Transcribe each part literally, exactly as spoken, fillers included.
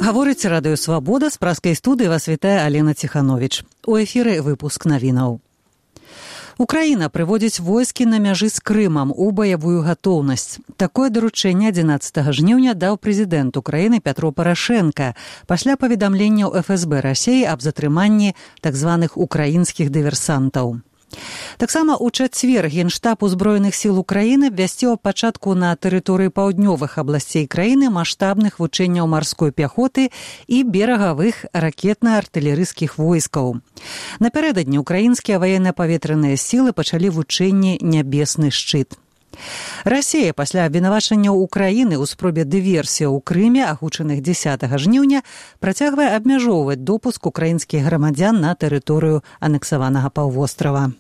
Гаворыць радыё «Свабода», з праскай студыі вас вітае Алена Ціхановіч. У эфіры выпуск навінаў. Украіна прыводзіць войскі на мяжы з Крымам у баявую гатоўнасць. Такое даручэнне адзінаццатага жніўня даў прэзідэнт Украіны Пятро Парашэнка пасля паведамленняў эф эс бэ Расіі аб затрыманні так званых украінскіх дыверсантаў. Таксама ў чацвер Генштаб узброеных сіл Украіны абвясціў аб пачатку на тэрыторыі паўднёвых абласцей краіны маштабных вучэнняў марской пяхоты і берагавых ракетна-артылерыйскіх войскаў. Напярэдадні украінскія ваенна-паветраныя сілы пачалі вучэнні «Нябесны шчыт». Расія пасля абвінавачанняў Украіны ў спробе дыверсіі ў Крыме, агучаных дзесятага жніўня, працягвае абмяжоўваць допуск украінскіх грамадзян на тэрыторыю анексаванага паўвострава.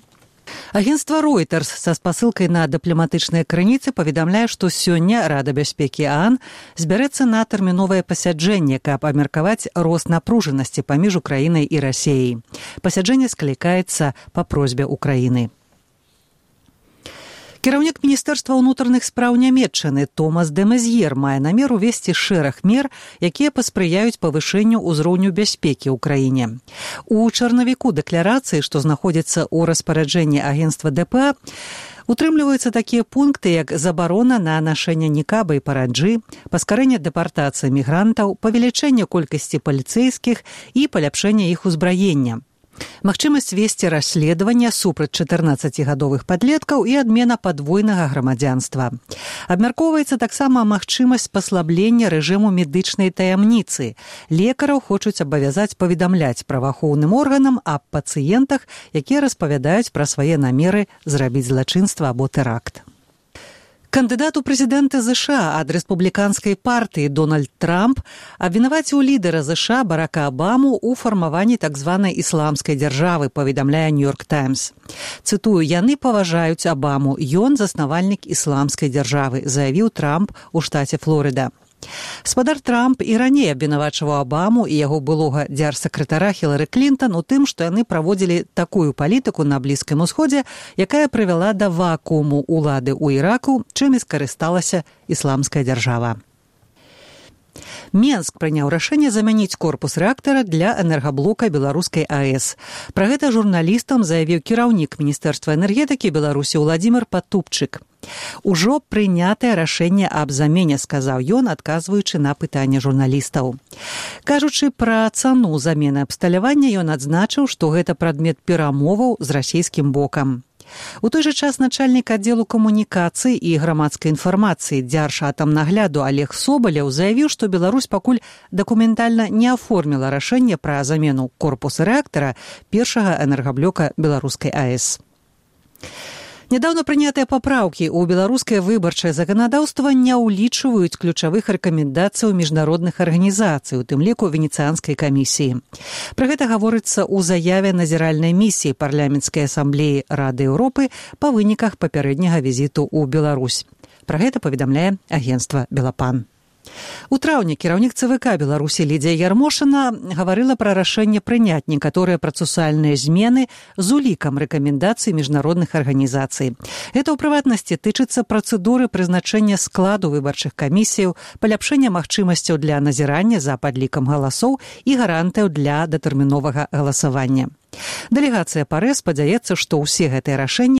Агенцтва Reuters са спасылкай на дыпламатычныя крыніцы паведамляе, што сёння Рада бяспекі ААН збярэцца на тэрміновае пасяджэнне, каб абмеркаваць рост напружанасці паміж Украінай і Расіяй. Пасяджэнне склікаецца па просьбе Украіны. Кіраўнік Міністэрства ўнутраных спраў Нямецчыны Томас де Мезьер мае намер увесці шэраг мер, якія паспрыяюць павышэнню ўзроўню бяспекі ў краіне. У чарнавіку дэкларацыі, што знаходзіцца ў распараджэнні агенцтва дэ пэ а, утрымліваюцца такія пункты, як забарона на нашэнне нікаба і параджы, паскарэнне дэпартацыі мігрантаў, павелічэнне колькасці паліцэйскіх і паляпшэнне іх узбраення. Магчымасць весці расследавання супраць чатырнаццацігадовых падлеткаў і адмена падвойнага грамадзянства. Абмяркоўваецца таксама магчымасць паслаблення рэжыму медычнай таямніцы. Лекараў хочуць абавязаць паведамляць праваахоўным органам аб пацыентах, якія распавядаюць пра свае намеры зрабіць злачынства або тэракт. Кандыдат у прэзідэнты ЗША ад рэспубліканскай партыі Дональд Трамп абвінаваціў лідара ЗША Барака Абаму ў фармаванні так званай ісламскай дзяржавы, паведамляе Нью-Йорк Таймс. Цытую, яны паважаюць Абаму, ён заснавальнік ісламскай дзяржавы, заявіў Трамп у штаце Флорыда. Спадар Трамп і раней абвінавачваў Абаму і яго былога дзярсакратара Хілары Клінтан у тым, што яны праводзілі такую палітыку на Блізкім Усходзе, якая прывяла да вакууму ўлады ў Іраку, чым і скарысталася ісламская дзяржава. Менск прыняў рашэнне замяніць корпус рэактара для энергаблока беларускай АЭС. Пра гэта журналістам заявіў кіраўнік Міністэрства энергетыкі Беларусі Уладзімір Патупчык. Ужо прынятае рашэнне аб замене, сказаў ён, адказваючы на пытанне журналістаў. Кажучы пра цану замены абсталявання, ён адзначыў, што гэта прадмет перамоваў з расійскім бокам. У той жа час начальнік аддзелу камунікацый і грамадскай інфармацыі Дзяржатамнагляду Олег Собаляў заявіў, што Беларусь пакуль дакументальна не аформіла рашэнне пра замену корпуса рэактара першага энергаблока беларускай АЭС. Нядаўна прынятыя папраўкі ў беларускае выбарчае заканадаўства не ўлічваюць ключавых рэкамендацый міжнародных арганізацый, у тым ліку Венецыянскай камісіі. Пра гэта гаворыцца ў заяве назіральнай місіі парламенцкай асамблеі Рады Еўропы па выніках папярэдняга візіту ў Беларусь. Пра гэта паведамляе агенцтва Белапан. У траўні кіраўнік ЦВК Беларусі Лідзія Ярмошына гаварыла пра рашэнне прыняць некаторыя працэсуальныя змены з улікам рэкамендацый міжнародных арганізацый. Гэта ў прыватнасці тычыцца працэдуры прызначэння складу выбарчых камісіяў, паляпшэння магчымасцяў для назірання за падлікам галасоў і гарантыяў для датэрміновага галасавання. Дэлегацыя ПАРЭ спадзяецца, што ўсе гэтыя рашэнні